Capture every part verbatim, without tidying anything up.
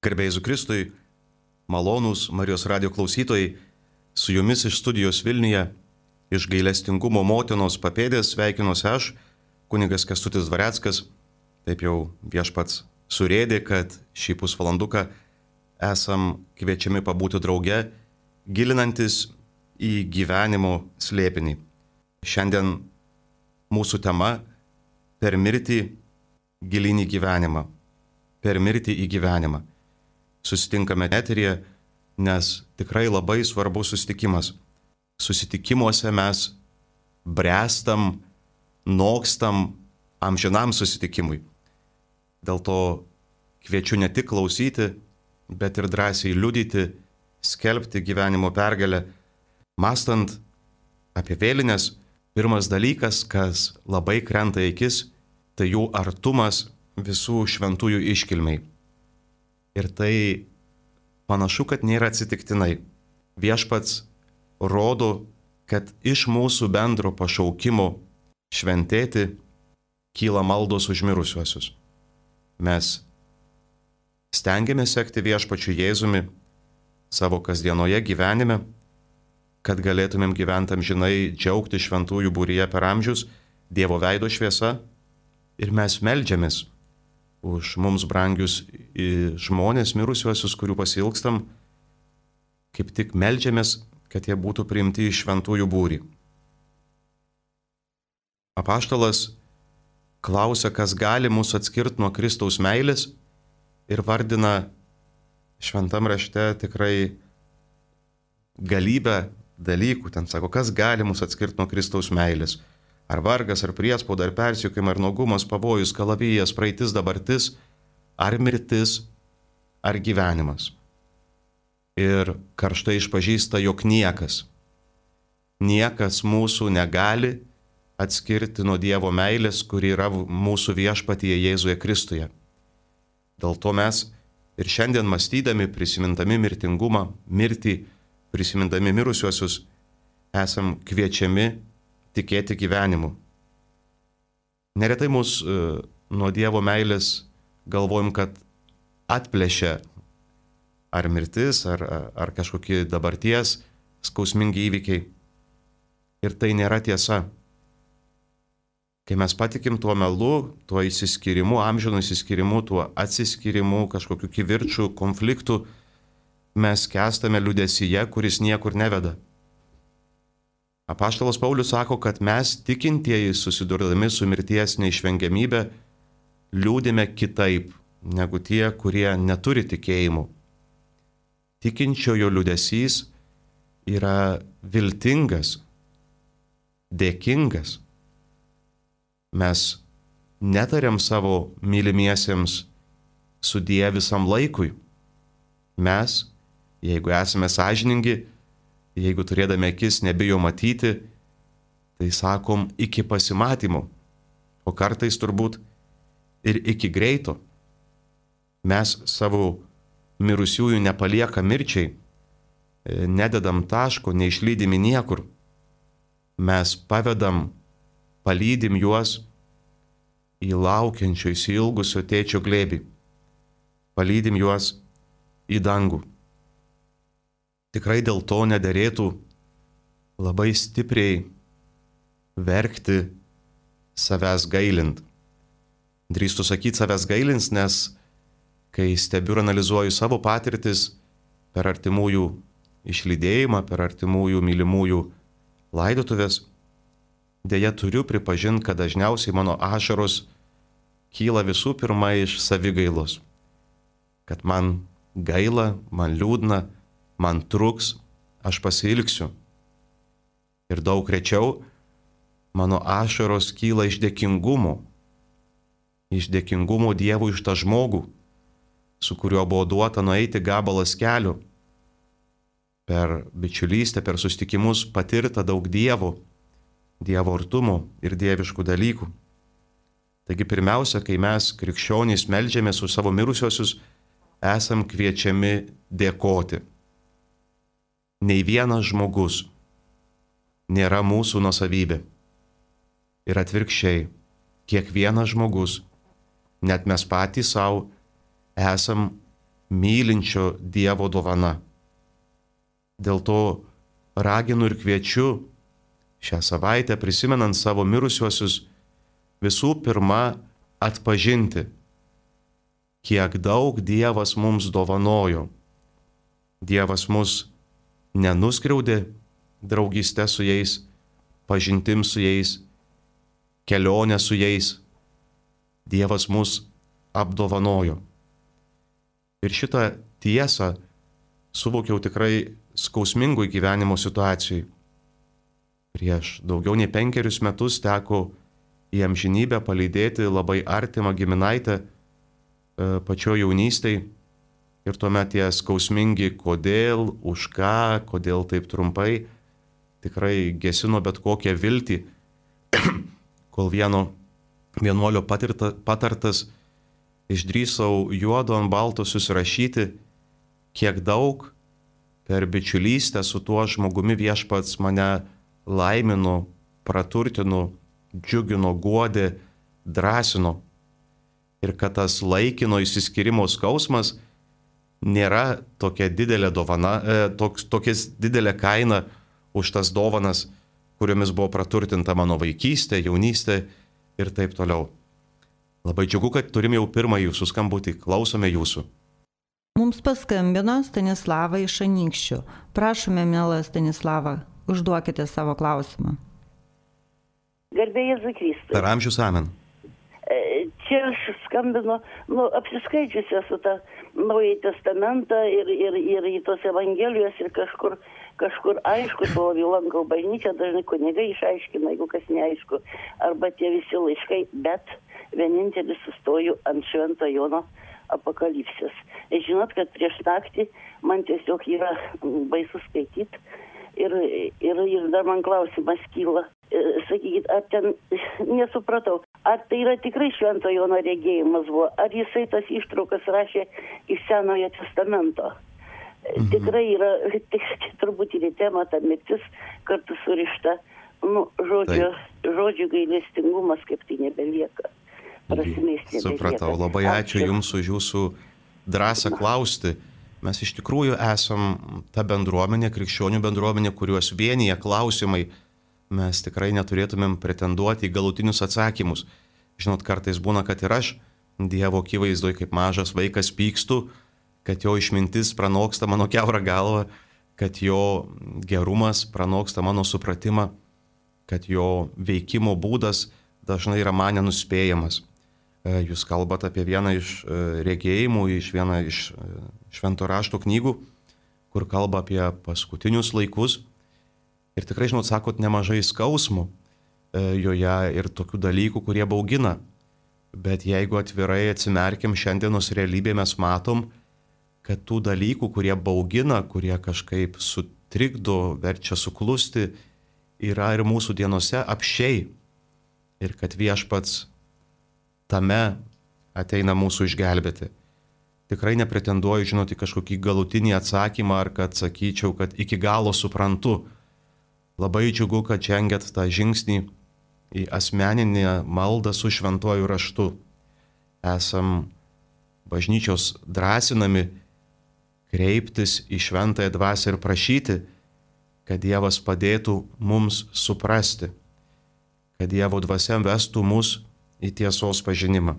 Garbėjai Jėzui Kristui, malonūs Marijos radijo klausytojai, su jumis iš studijos Vilniuje, iš gailestingumo motinos papėdės sveikinuosi aš, kunigas Kęstutis Dvareckas. Taip jau viešpats surėdė, kad šį pusvalanduką esam kviečiami pabūti drauge, gilinantis į gyvenimo slėpinį. Šiandien mūsų tema – per mirtį gilin į gyvenimą. Per mirtį į gyvenimą. Susitinkame eteryje, nes tikrai labai svarbus susitikimas. Susitikimuose mes bręstam, nokstam amžinam susitikimui. Dėl to kviečiu ne tik klausyti, bet ir drąsiai liudyti, skelbti gyvenimo pergalę. Mąstant apie vėlines, pirmas dalykas, kas labai krenta į akis, tai jų artumas visų šventųjų iškilmiai. Ir tai panašu, kad nėra atsitiktinai. Viešpats rodo, kad iš mūsų bendro pašaukimo šventėti kyla maldos už mirusiuosius. Mes stengiamės sekti viešpačiu Jėzumi savo kasdienoje gyvenime, kad galėtumėm gyventi amžinai, džiaugti šventųjų būryje per amžius, Dievo veido šviesa, ir mes meldžiamės už mums brangius žmonės, mirusiuosius, kurių pasilgstam, kaip tik meldžiamės, kad jie būtų priimti į šventųjų būrį. Apaštalas klausia, kas gali mus atskirti nuo Kristaus meilės, ir vardina šventam rašte tikrai galybę dalykų. Ten sako, kas gali mus atskirti nuo Kristaus meilės. Ar vargas, ar priespauda, ar persekiojimai, ar nuogumas, pavojus, kalavijas, praeitis, dabartis, ar mirtis, ar gyvenimas. Ir karštai išpažįsta, jog niekas, niekas mūsų negali atskirti nuo Dievo meilės, kuri yra mūsų viešpatyje Jėzuje Kristuje. Dėl to mes ir šiandien mąstydami, prisimindami mirtingumą, mirtį, prisimindami mirusiuosius, esam kviečiami tikėti gyvenimu. Neretai mus e, nuo Dievo meilės galvojam, kad atplėšia ar mirtis, ar, ar kažkokie dabarties skausmingi įvykiai. Ir tai nėra tiesa. Kai mes patikim tuo melu, tuo įsiskyrimu, amžinu įsiskyrimu, tuo atsiskyrimu, kažkokiu kivirčiu, konfliktu, mes kęstame liūdesyje, kuris niekur neveda. Apaštalas Paulius sako, kad mes tikintieji susidurdami su mirties neišvengiamybė liūdime kitaip negu tie, kurie neturi tikėjimų. Tikinčiojo liūdesys yra viltingas, dėkingas. Mes netariam savo mylimiesiems sudie visam laikui. Mes, jeigu esame sąžiningi, jeigu turėdami akis nebijo matyti, tai sakom iki pasimatymo, o kartais turbūt ir iki greito. Mes savo mirusiųjų nepalieka mirčiai, nededam taško, neišlydimi niekur. Mes pavedam, palydim juos į laukiančio, įsiilgusio tėčio glėbį. Palydim juos į dangų. Tikrai dėl to nederėtų labai stipriai verkti savęs gailint. Drįstu sakyti savęs gailins, nes kai stebiu ir analizuoju savo patirtis per artimųjų išlydėjimą, per artimųjų mylimųjų laidotuvės, deja turiu pripažinti, kad dažniausiai mano ašaros kyla visų pirma iš savigailos. Kad man gaila, man liūdna, man truks, aš pasiilgsiu. Ir daug rečiau mano ašaros kyla iš dėkingumo. Iš dėkingumo Dievui už tą žmogų, su kuriuo buvo duota nueiti gabalas kelių. Per bičiulystę, per susitikimus patirta daug Dievo, Dievo artumo ir dieviškų dalykų. Taigi pirmiausia, kai mes krikščionys meldžiamės už savo mirusiosius, esam kviečiami dėkoti. Nei vienas žmogus nėra mūsų nuosavybė. Ir atvirkščiai, kiekvienas žmogus, net mes patys savo, esam mylinčio Dievo dovana. Dėl to raginu ir kviečiu šią savaitę, prisimenant savo mirusiuosius, visų pirma atpažinti, kiek daug Dievas mums dovanojo. Dievas mus nenuskriaudė draugystę su jais, pažintim su jais, kelionę su jais. Dievas mus apdovanojo. Ir šitą tiesą suvokiau tikrai skausmingoj gyvenimo situacijai. Prieš daugiau nei penkerius metus teko į amžinybę palydėti labai artimą giminaitę pačio jaunystėj. Ir tuomet tie skausmingi kodėl, už ką, kodėl taip trumpai, tikrai gesino bet kokią viltį, kol vieno vienuolio patirta, patartas išdrįsau juodo ant balto susirašyti, kiek daug per bičiulystę su tuo žmogumi Viešpats mane laimino, praturtino, džiugino, guodė, drąsino. Ir kad tas laikino išsiskyrimo skausmas nėra tokia didelė dovana, e, toks, tokias didelė kaina už tas dovanas, kuriomis buvo praturtinta mano vaikystė, jaunystė ir taip toliau. Labai džiugu, kad turim jau pirmą jūsų skambutį. Klausome jūsų. Mums paskambino Stanislava iš Anykščių. Prašome, mielą Stanislava, užduokite savo klausimą. Garbė Jėzui Kristui. Per amžius amen. Čia aš skambinu, nu, apsiskaičiusi esu tą Naująjį Testamentą ir, ir, ir į tos Evangelijos ir kažkur, kažkur aišku, savo lankau bažnyčią, dažnai kunigai išaiškina, jeigu kas neaišku, arba tie visi laiškai, bet vienintelis sustoju ant Švento Jono Apokalipsės. Žinot, kad prieš naktį man tiesiog yra baisu skaityti ir, ir, ir dar man klausimas kyla. Sakykit, ar ten, nesupratau, ar tai yra tikrai Švento Jono regėjimas buvo, ar jisai tas ištraukas rašė iš Senojo Testamento. Mhm. Tikrai yra, tik, turbūt ir į temą ta mirtis kartu surišta, nu, žodžio, žodžių gailestingumas kaip tai nebelieka. Prasmės nebelieka. Supratau, labai ačiū Jums už Jūsų drąsą klausti. Mes iš tikrųjų esam ta bendruomenė, krikščionių bendruomenė, kuriuos vienyje klausimai. Mes tikrai neturėtumėm pretenduoti į galutinius atsakymus. Žinot, kartais būna, kad ir aš Dievo akivaizdoj kaip mažas vaikas pykstu, kad jo išmintis pranoksta mano kiaurą galvą, kad jo gerumas pranoksta mano supratimą, kad jo veikimo būdas dažnai yra man nenuspėjamas. Jūs kalbate apie vieną iš regėjimų, iš vieną iš švento rašto knygų, kur kalba apie paskutinius laikus. Ir tikrai, žinot, sakot, nemažai skausmų joje ir tokių dalykų, kurie baugina. Bet jeigu atvirai atsimerkiam šiandienos realybėje, mes matom, kad tų dalykų, kurie baugina, kurie kažkaip sutrikdo, verčia suklusti, yra ir mūsų dienose apsčiai. Ir kad Viešpats tame ateina mūsų išgelbėti. Tikrai nepretenduoju, žinoti, kažkokį galutinį atsakymą, ar kad sakyčiau, kad iki galo suprantu. Labai džiugu, kad žengėt tą žingsnį į asmeninę maldą su šventuoju raštu. Esam bažnyčios drąsinami kreiptis į šventąją dvasią ir prašyti, kad Dievas padėtų mums suprasti, kad Dievo dvasia vestų mus į tiesos pažinimą.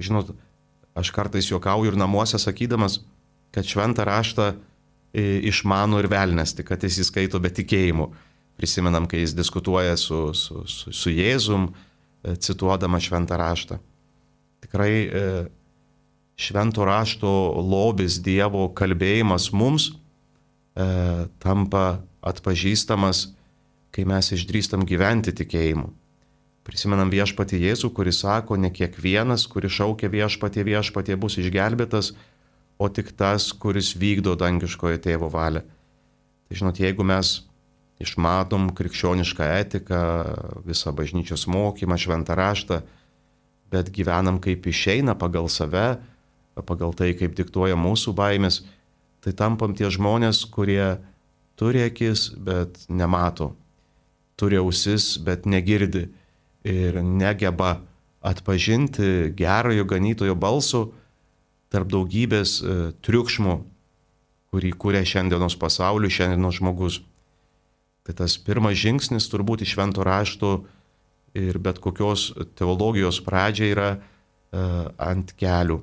Žinot, aš kartais juokauju ir namuose sakydamas, kad šventą raštą išmano ir velnias, tik kad jis įskaito be tikėjimų. Prisimenam, kai jis diskutuoja su, su, su, su Jėzum, cituodama šventą raštą. Tikrai švento rašto lobis, Dievo kalbėjimas mums e, tampa atpažįstamas, kai mes išdrįstam gyventi tikėjimu. Prisimenam Viešpatį Jėzų, kuris sako, ne kiekvienas, kuris šaukia Viešpatie, Viešpatie bus išgelbėtas, o tik tas, kuris vykdo dangiškojo tėvo valią. Tai žinot, jeigu mes išmatom krikščionišką etiką, visą bažnyčios mokymą, šventą raštą, bet gyvenam kaip išeina pagal save, pagal tai, kaip diktuoja mūsų baimės, tai tampam tie žmonės, kurie turi akis, bet nemato, turi ausis, bet negirdi ir negeba atpažinti gerojo ganytojo balso, tarp daugybės e, triukšmų, kurį kūrė šiandienos pasauliu, šiandienos žmogus. Tai tas pirmas žingsnis turbūt iš švento rašto ir bet kokios teologijos pradžia yra e, ant kelių.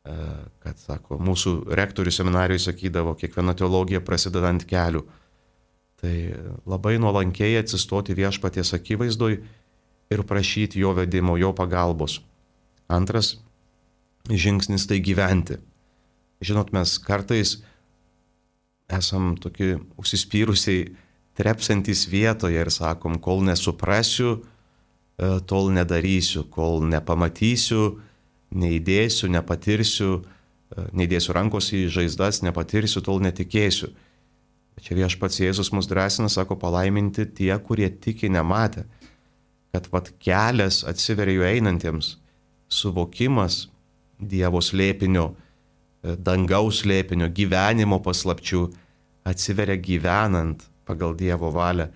E, kad, sako, mūsų rektorius seminarijoje sakydavo, kiekviena teologija prasideda ant kelių. Tai labai nuolankiai atsistoti viešpaties akivaizdoj ir prašyti jo vedimo, jo pagalbos. Antras žingsnis tai gyventi. Žinot, mes kartais esam tokie užsispyrusiai trepsantys vietoje ir sakom, kol nesuprasiu, tol nedarysiu, kol nepamatysiu, neįdėsiu, nepatirsiu, neįdėsiu rankos į žaizdas, nepatirsiu, tol netikėsiu. Čia viešpats Jėzus mus drąsina, sako, palaiminti tie, kurie tiki nematę, kad vat kelias atsiveria jų einantiems, suvokimas Dievo slėpinio, dangaus slėpinio, gyvenimo paslapčių atsiveria gyvenant pagal Dievo valią,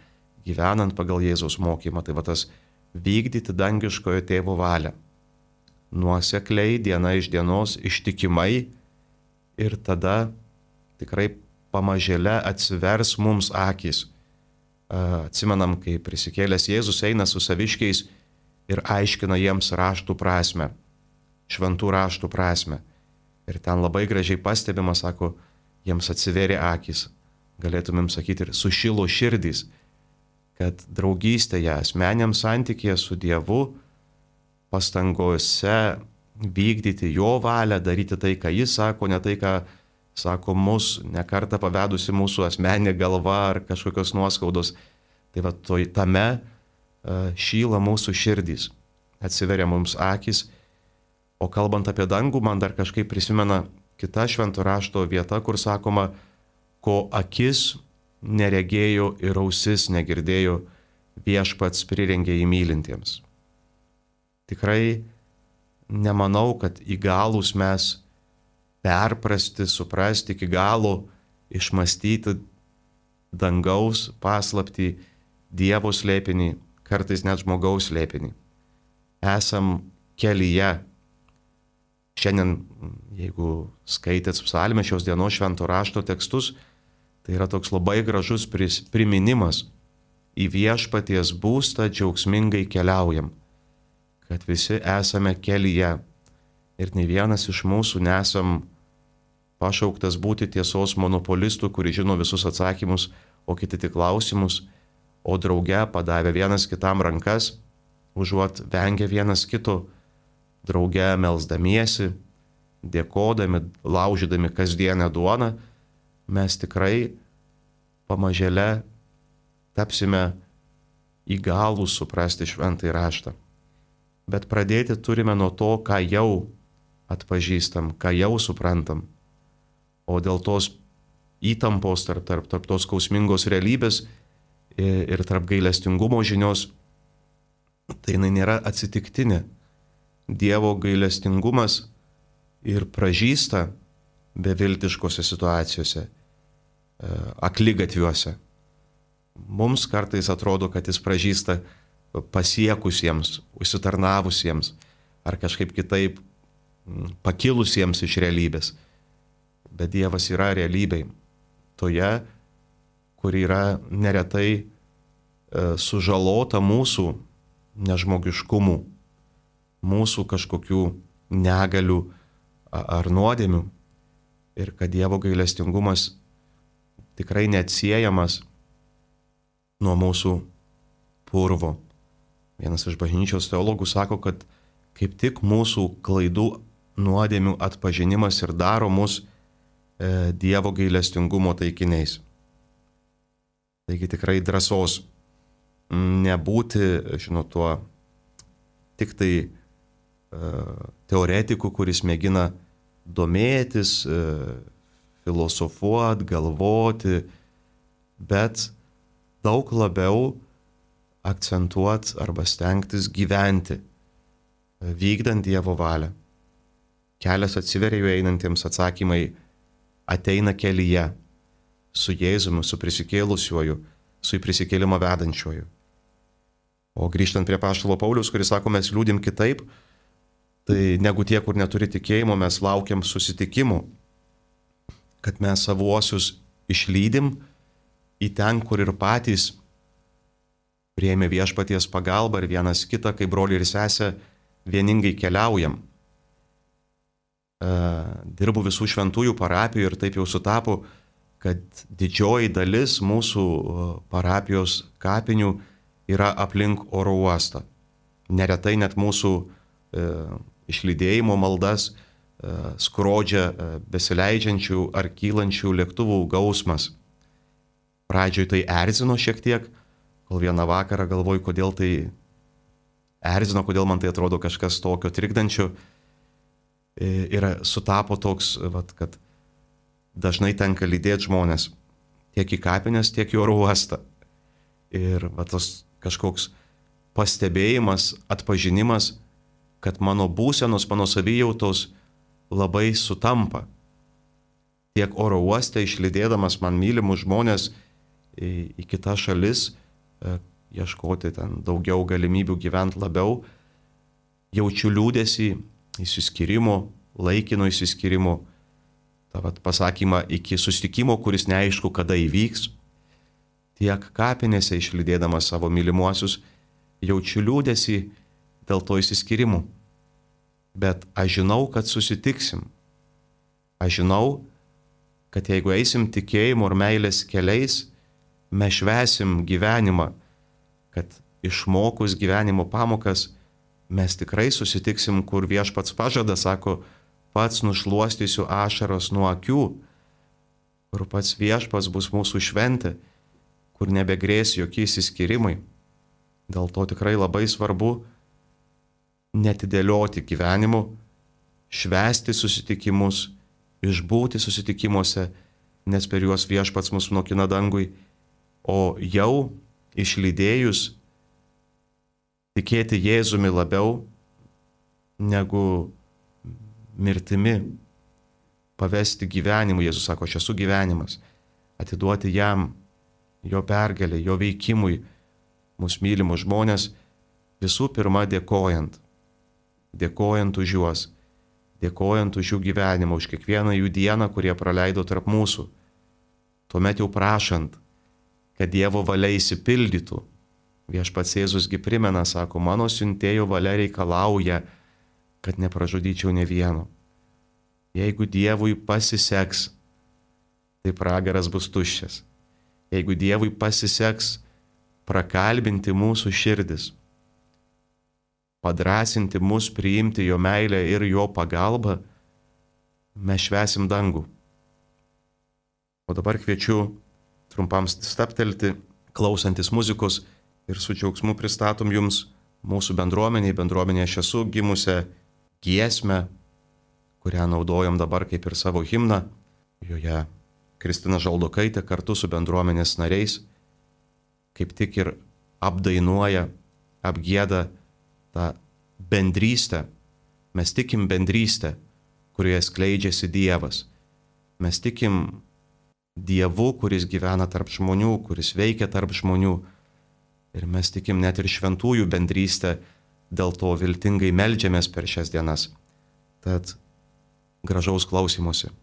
gyvenant pagal Jėzaus mokymą. Tai va tas vykdyti dangiškojo tėvo valią. Nuosekliai, diena iš dienos, ištikimai ir tada tikrai pamažėle atsivers mums akys. Atsimenam, kai prisikėlęs Jėzus eina su saviškiais ir aiškina jiems raštų prasme, šventų raštų prasme. Ir ten labai gražiai pastebima, sako, jiems atsiverė akys. Galėtumėm sakyti ir sušilo širdys, kad draugystėje, asmeniam santykėje su Dievu, pastangose vykdyti jo valią, daryti tai, ką jis sako, ne tai, ką sako mus, nekartą pavedusi mūsų asmeninė galva ar kažkokios nuoskaudos. Tai va, to, tame uh, šyla mūsų širdys, atsiveria mums akys. O kalbant apie dangų, man dar kažkaip prisimena kita švento rašto vieta, kur sakoma, ko akis neregėjo ir ausis negirdėjo, viešpats prirengė įmylintiems. Tikrai nemanau, kad įgalūs mes perprasti, suprasti, iki galo išmastyti dangaus paslaptį, Dievo slėpinį, kartais net žmogaus slėpinį. Esam kelyje. Šiandien, jeigu skaitėt psalmę šios dienos švento rašto tekstus, tai yra toks labai gražus priminimas. Į viešpaties būstą džiaugsmingai keliaujam, kad visi esame kelyje ir nei vienas iš mūsų nesam pašauktas būti tiesos monopolistų, kuri žino visus atsakymus, o kiti tik klausimus, o drauge padavę vienas kitam rankas, užuot vengę vienas kito, drauge melsdamiesi, dėkodami, laužydami kasdienę duoną, mes tikrai pamažėle tapsime įgalūs suprasti šventąjį raštą. Bet pradėti turime nuo to, ką jau atpažįstam, ką jau suprantam. O dėl tos įtampos tarp, tarp, tarp tos skausmingos realybės ir tarp gailestingumo žinios, tai jinai nėra atsitiktinė. Dievo gailestingumas ir pražysta beviltiškose situacijose, akligatviuose. Mums kartais atrodo, kad jis pražysta pasiekusiems, užsitarnavusiems ar kažkaip kitaip pakilusiems iš realybės. Bet Dievas yra realybėj. Toje, kur yra neretai sužalota mūsų nežmogiškumų, mūsų kažkokių negalių ar nuodėmių. Ir kad Dievo gailestingumas tikrai neatsiejamas nuo mūsų purvo. Vienas iš bažnyčios teologų sako, kad kaip tik mūsų klaidų nuodėmių atpažinimas ir daro mus e, Dievo gailestingumo taikiniais. Taigi tikrai drąsos nebūti, žinot, tuo tik tai e, teoretiku, kuris mėgina domėtis, e, filosofuoti, galvoti, bet daug labiau akcentuoti arba stengtis gyventi, vykdant Dievo valią. Kelias atsiveria jų einantiems, atsakymai ateina kelyje, su Jėzumi, su prisikėlusiuoju, su į prisikėlimą vedančiuoju. O grįžtant prie apaštalo Pauliaus, kuris sako, mes liūdim kitaip, Tai negu tie, kur neturi tikėjimo, mes laukiam susitikimų, kad mes savuosius išlydim į ten, kur ir patys priėmė viešpaties pagalbą ir vienas kitą, kaip broliai ir sesė, vieningai keliaujam. Dirbu visų šventųjų parapijų ir taip jau sutapo, kad didžioji dalis mūsų parapijos kapinių yra aplink oro uostą. Neretai net mūsų e, išlydėjimo maldas e, skrodžia e, besileidžiančių ar kylančių lėktuvų gausmas. Pradžioj tai erzino šiek tiek, kol vieną vakarą galvoju, kodėl tai erzino, kodėl man tai atrodo kažkas tokio trikdančio. E, ir sutapo toks, vat, kad dažnai tenka lydėti žmonės tiek į kapines, tiek į oro uostą. Ir va, tas kažkoks pastebėjimas, atpažinimas, kad mano būsenos, mano savijautos labai sutampa. Tiek oro uoste išlydėdamas man mylimus žmonės į, į kitas šalis, e, ieškoti ten daugiau galimybių gyventi labiau, jaučiu liūdesį, įsiskyrimo, laikino įsiskyrimo, tą vat, pasakymą iki susitikimo, kuris neaišku, kada įvyks. Tiek kapinėse išlydėdamas savo mylimuosius, jaučiu liūdesį dėl to įsiskirimų. Bet aš žinau, kad susitiksim. Aš žinau, kad jeigu eisim tikėjimo ir meilės keliais, mes švęsim gyvenimą, kad išmokus gyvenimo pamokas, mes tikrai susitiksim, kur viešpats pažada, sako, pats nušluostysiu ašaros nuo akių, kur pats viešpats bus mūsų šventė, kur nebegrės jokie įsiskyrimai. Dėl to tikrai labai svarbu netidėlioti gyvenimu, švęsti susitikimus, išbūti susitikimuose, nes per juos viešpats mus nokina dangui, o jau išlydėjus tikėti Jėzumi labiau negu mirtimi, pavesti gyvenimu. Jėzus sako, aš esu gyvenimas, atiduoti jam, jo pergalė, jo veikimui, mūsų mylimus žmonės, visų pirma dėkojant, dėkojant už juos, dėkojant už jų gyvenimą, už kiekvieną jų dieną, kurie praleido tarp mūsų. Tuomet jau prašant, kad Dievo valia įsipildytų. Viešpats Jėzusgi primena, sako, mano siuntėjo valia reikalauja, kad nepražudyčiau ne vieno. Jeigu Dievui pasiseks, tai pragaras bus tuščias. Jeigu Dievui pasiseks prakalbinti mūsų širdis, padrasinti mus priimti jo meilę ir jo pagalbą, mes švęsim dangų. O dabar kviečiu trumpam staptelti, klausantis muzikos, ir su džiaugsmu pristatom jums mūsų bendruomeniai, bendruomenė aš esu gimusią giesmę, kurią naudojam dabar kaip ir savo himną. Joje Kristina Žaldokaitė kartu su bendruomenės nariais kaip tik ir apdainuoja, apgieda tą bendrystę. Mes tikim bendrystę, kurioje skleidžiasi Dievas. Mes tikim Dievu, kuris gyvena tarp žmonių, kuris veikia tarp žmonių. Ir mes tikim net ir šventųjų bendrystę, dėl to viltingai meldžiamės per šias dienas. Tad gražaus klausymosi.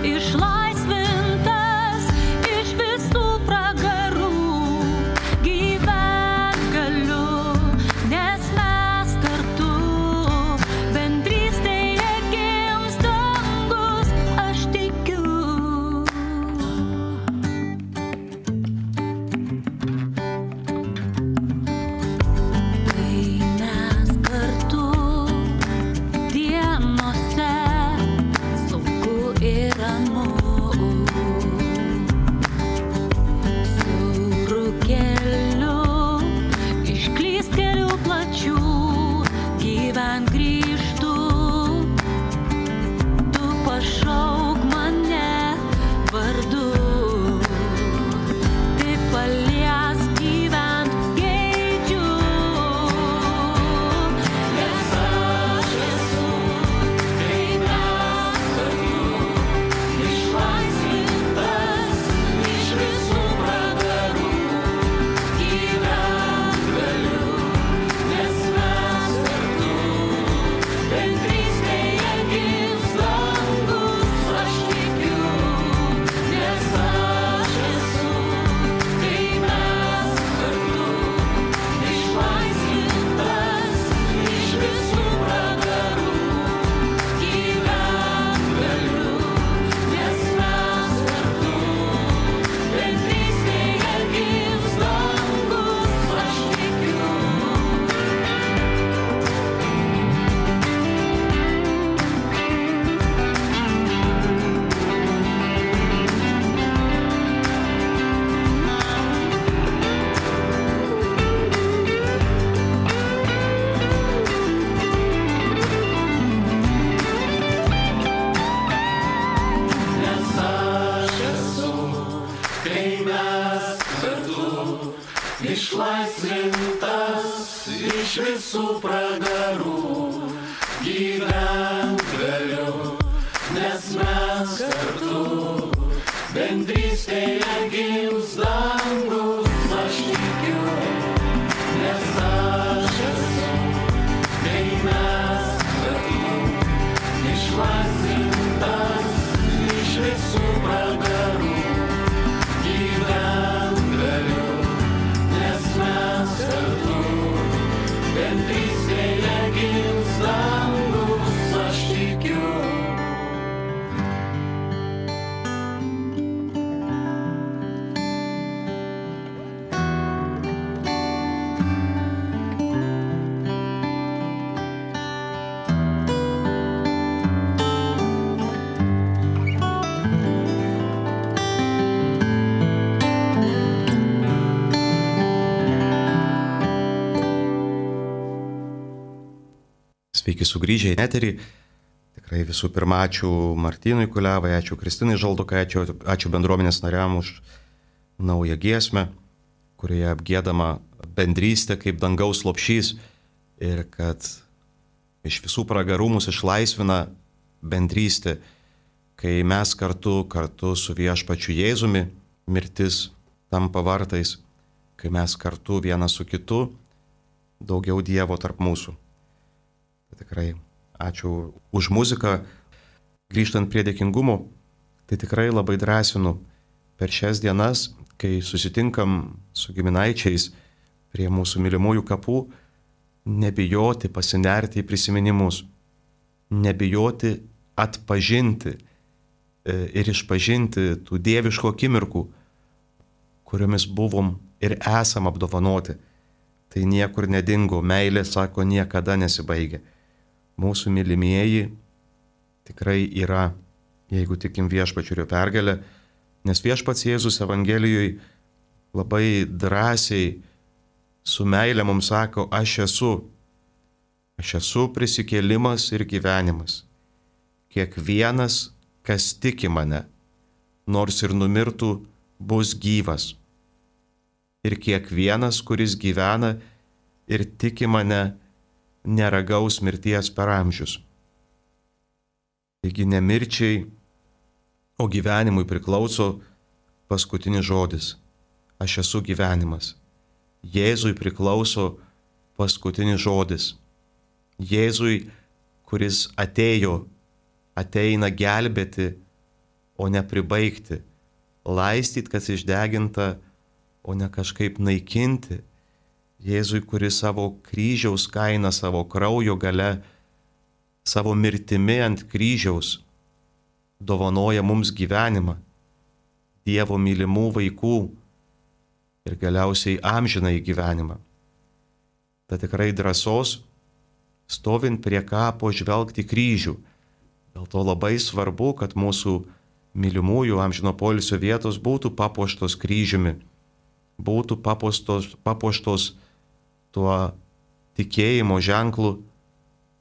Išlaisvintas iš visų pragarų, gyvent galiu. iš visų pragarų gyvent galiu, nes mes kartu bendrystėje gims dangus, aš tikiu, nes aš esu, kai mes kartu išlaisvintas iš visų pragarų gyvent galiu, nes mes kartu bendrystėje gims dangus, aš tikiu. Sveiki sugrįžę į eterį. Tikrai visų pirma, ačiū Martynui Kuliavai, ačiū Kristinai Žaldukai, ačiū, ačiū bendruomenės nariam už naują giesmę, kurioje apgiedama bendrystė kaip dangaus lopšys ir kad iš visų pragarų mus išlaisvina bendrystė, kai mes kartu, kartu su viešpačiu Jėzumi mirtis tampa vartais, kai mes kartu vienas su kitu, daugiau Dievo tarp mūsų. Tikrai ačiū už muziką. Grįžtant prie dėkingumo, tai tikrai labai drąsinu per šias dienas, kai susitinkam su giminaičiais prie mūsų mylimųjų kapų, nebijoti pasinerti į prisiminimus, nebijoti atpažinti ir išpažinti tų dieviškų akimirkų, kuriomis buvom ir esam apdovanoti. Tai niekur nedingo, meilė, sako, niekada nesibaigia. Mūsų mylimieji tikrai yra, jeigu tikim viešpačiu ir jo pergalę, nes viešpats Jėzus Evangelijoje labai drąsiai su meilė mums sako, aš esu, aš esu prisikėlimas ir gyvenimas. Kiekvienas, kas tiki mane, nors ir numirtų, bus gyvas. Ir kiekvienas, kuris gyvena ir tiki mane, neragaus mirties per amžius. Taigi ne mirčiai, o gyvenimui priklauso paskutinis žodis. Aš esu gyvenimas. Jėzui priklauso paskutinis žodis. Jėzui, kuris atėjo, ateina gelbėti, o ne pribaigti. Laistyt, kas išdeginta, o ne kažkaip naikinti. Jėzui, kuris savo kryžiaus kainą, savo kraujo gale, savo mirtimi ant kryžiaus dovanoja mums gyvenimą, Dievo mylimų vaikų ir galiausiai amžinąjį gyvenimą. Ta tikrai drąsos, stovint prie kapo, žvelgti kryžių. Dėl to labai svarbu, kad mūsų mylimųjų amžino poilsio vietos būtų papuoštos kryžiumi, būtų papuoštos, papuoštos tuo tikėjimo ženklu,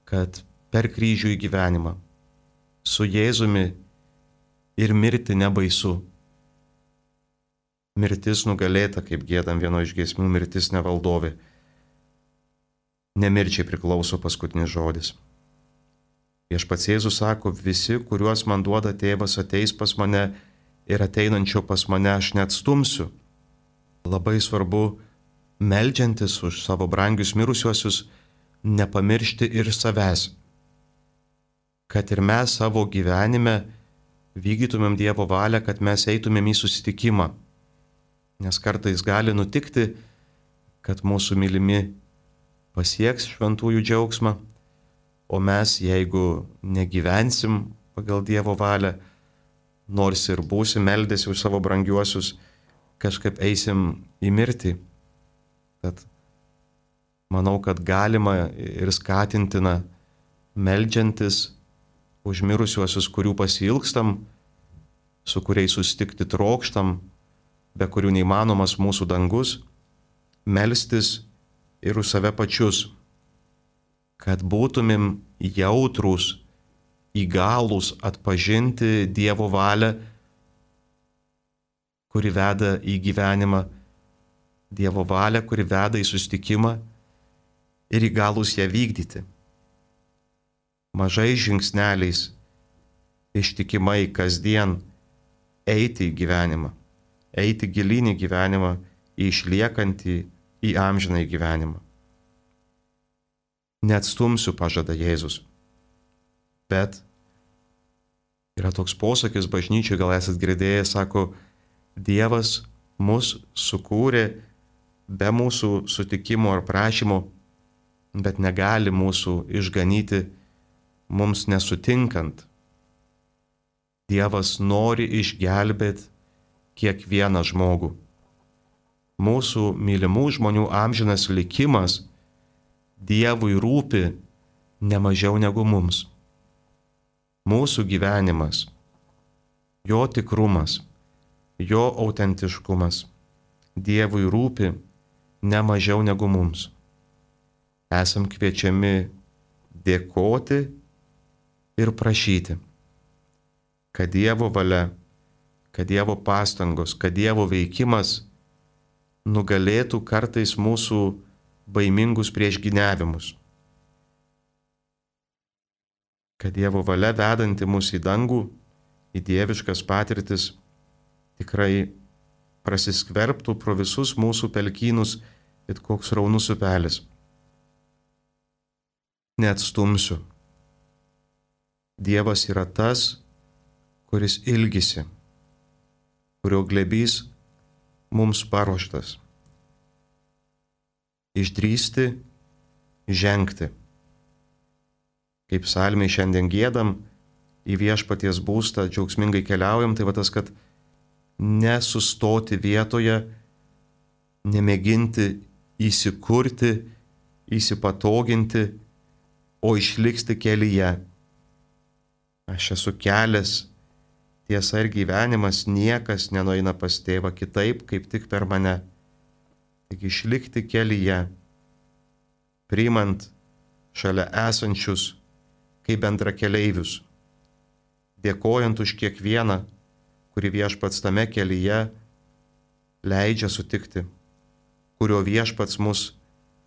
kad per kryžių į gyvenimą su Jėzumi ir mirti nebaisu. Mirtis nugalėta, kaip giedam vieno iš giesmių, mirtis nevaldovė. Nemirčiai priklauso paskutinis žodis. Viešpats Jėzus sako, visi, kuriuos man duoda tėvas, ateis pas mane ir ateinančio pas mane aš neatstumsiu. Labai svarbu, meldžiantis už savo brangius mirusiuosius, nepamiršti ir savęs, kad ir mes savo gyvenime vykdytumėm Dievo valią, kad mes eitumėm į susitikimą. Nes kartais gali nutikti, kad mūsų mylimi pasieks šventųjų džiaugsmą, o mes, jeigu negyvensim pagal Dievo valią, nors ir būsim meldėsi už savo brangiuosius, kažkaip eisim į mirtį. Tad manau, kad galima ir skatintina meldžiantis už mirusiuosius, kurių pasiilgstam, su kuriais susitikti trokštam, be kurių neįmanomas mūsų dangus, melstis ir už save pačius, kad būtumėm jautrūs, įgalūs atpažinti Dievo valią, kuri veda į gyvenimą, Dievo valią, kuri veda į susitikimą ir įgalūs ją vykdyti. Mažais žingsneliais, ištikimai kasdien eiti į gyvenimą, eiti gilyn į gyvenimą, į išliekantį, į amžinąjį gyvenimą. Neatstumsiu, pažada Jėzus. Bet yra toks posakis bažnyčiai, gal esat girdėję, sako, Dievas mus sukūrė be mūsų sutikimo ar prašymo, bet negali mūsų išganyti mums nesutinkant. Dievas nori išgelbėti kiekvieną žmogų. Mūsų mylimų žmonių amžinas likimas Dievui rūpi ne mažiau negu mums. Mūsų gyvenimas, jo tikrumas, jo autentiškumas Dievui rūpi ne mažiau negu mums. Esam kviečiami dėkoti ir prašyti, kad Dievo valia, kad Dievo pastangos, kad Dievo veikimas nugalėtų kartais mūsų baimingus priešgyniavimus. Kad Dievo valia vedanti mus į dangų, į dieviškas patirtis, tikrai prasiskverbtų pro visus mūsų pelkynus, it koks raunus upelis. Neatstumsiu. Dievas yra tas, kuris ilgisi, kurio glėbys mums paruoštas. Išdrįsti, žengti. Kaip psalmiai šiandien giedam, į viešpaties būstą džiaugsmingai keliaujam, tai va tas, kad nesustoti vietoje, nemėginti įsikurti, įsipatoginti, o išlikti kelyje. Aš esu kelias, tiesa ir gyvenimas, niekas nenueina pas tėvą kitaip, kaip tik per mane. Tik išlikti kelyje, priimant šalia esančius kaip bendrakeleivius, dėkojant už kiekvieną, kurį viešpats tame kelyje leidžia sutikti, kurio viešpats mus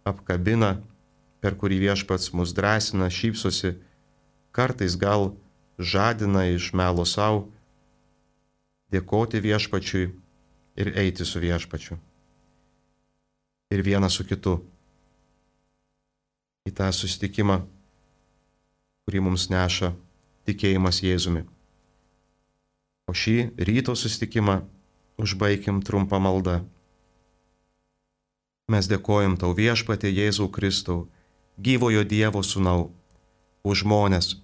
apkabina, per kurį viešpats mus drąsina, šypsosi, kartais gal žadina iš melo savo, dėkoti viešpačiui ir eiti su viešpačiu. Ir vienas su kitu. Į tą susitikimą, kurį mums neša tikėjimas Jėzumi. O šį ryto susitikimą užbaikim trumpą maldą. Mes dėkojam tau viešpatie Jėzau Kristau, gyvojo Dievo sūnau, už žmones,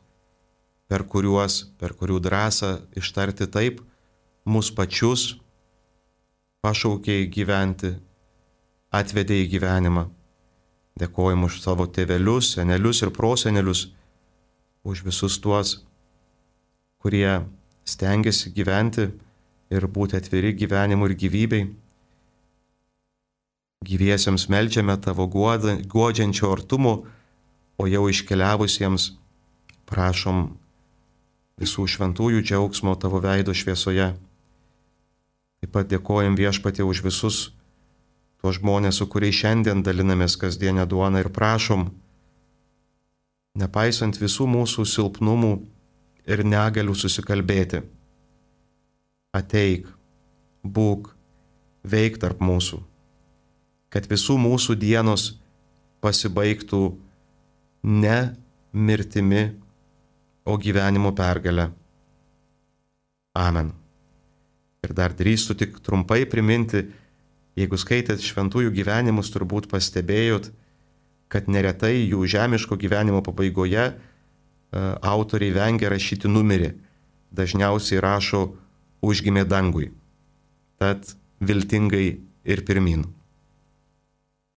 per kuriuos, per kurių drąsą ištarti taip, mus pačius pašaukė gyventi, atvedė į gyvenimą. Dėkojam už savo tėvelius, senelius ir prosenelius, už visus tuos, kurie stengiasi gyventi ir būti atviri gyvenimu ir gyvybei. Gyviesiems meldžiame tavo guodžiančio artumo, o jau iškeliavusiems prašom visų šventųjų džiaugsmo tavo veido šviesoje. Taip pat dėkojam viešpatie už visus tuos žmonės, su kuriais šiandien dalinamės kasdienę duoną ir prašom, nepaisant visų mūsų silpnumų ir negalių susikalbėti. Ateik, būk, veik tarp mūsų, kad visų mūsų dienos pasibaigtų ne mirtimi, o gyvenimo pergalę. Amen. Ir dar drįstu tik trumpai priminti, jeigu skaitėt šventųjų gyvenimus, turbūt pastebėjot, kad neretai jų žemiško gyvenimo pabaigoje autoriai vengia rašyti numerį. Dažniausiai rašo užgimė dangui. Tad viltingai ir pirmyn.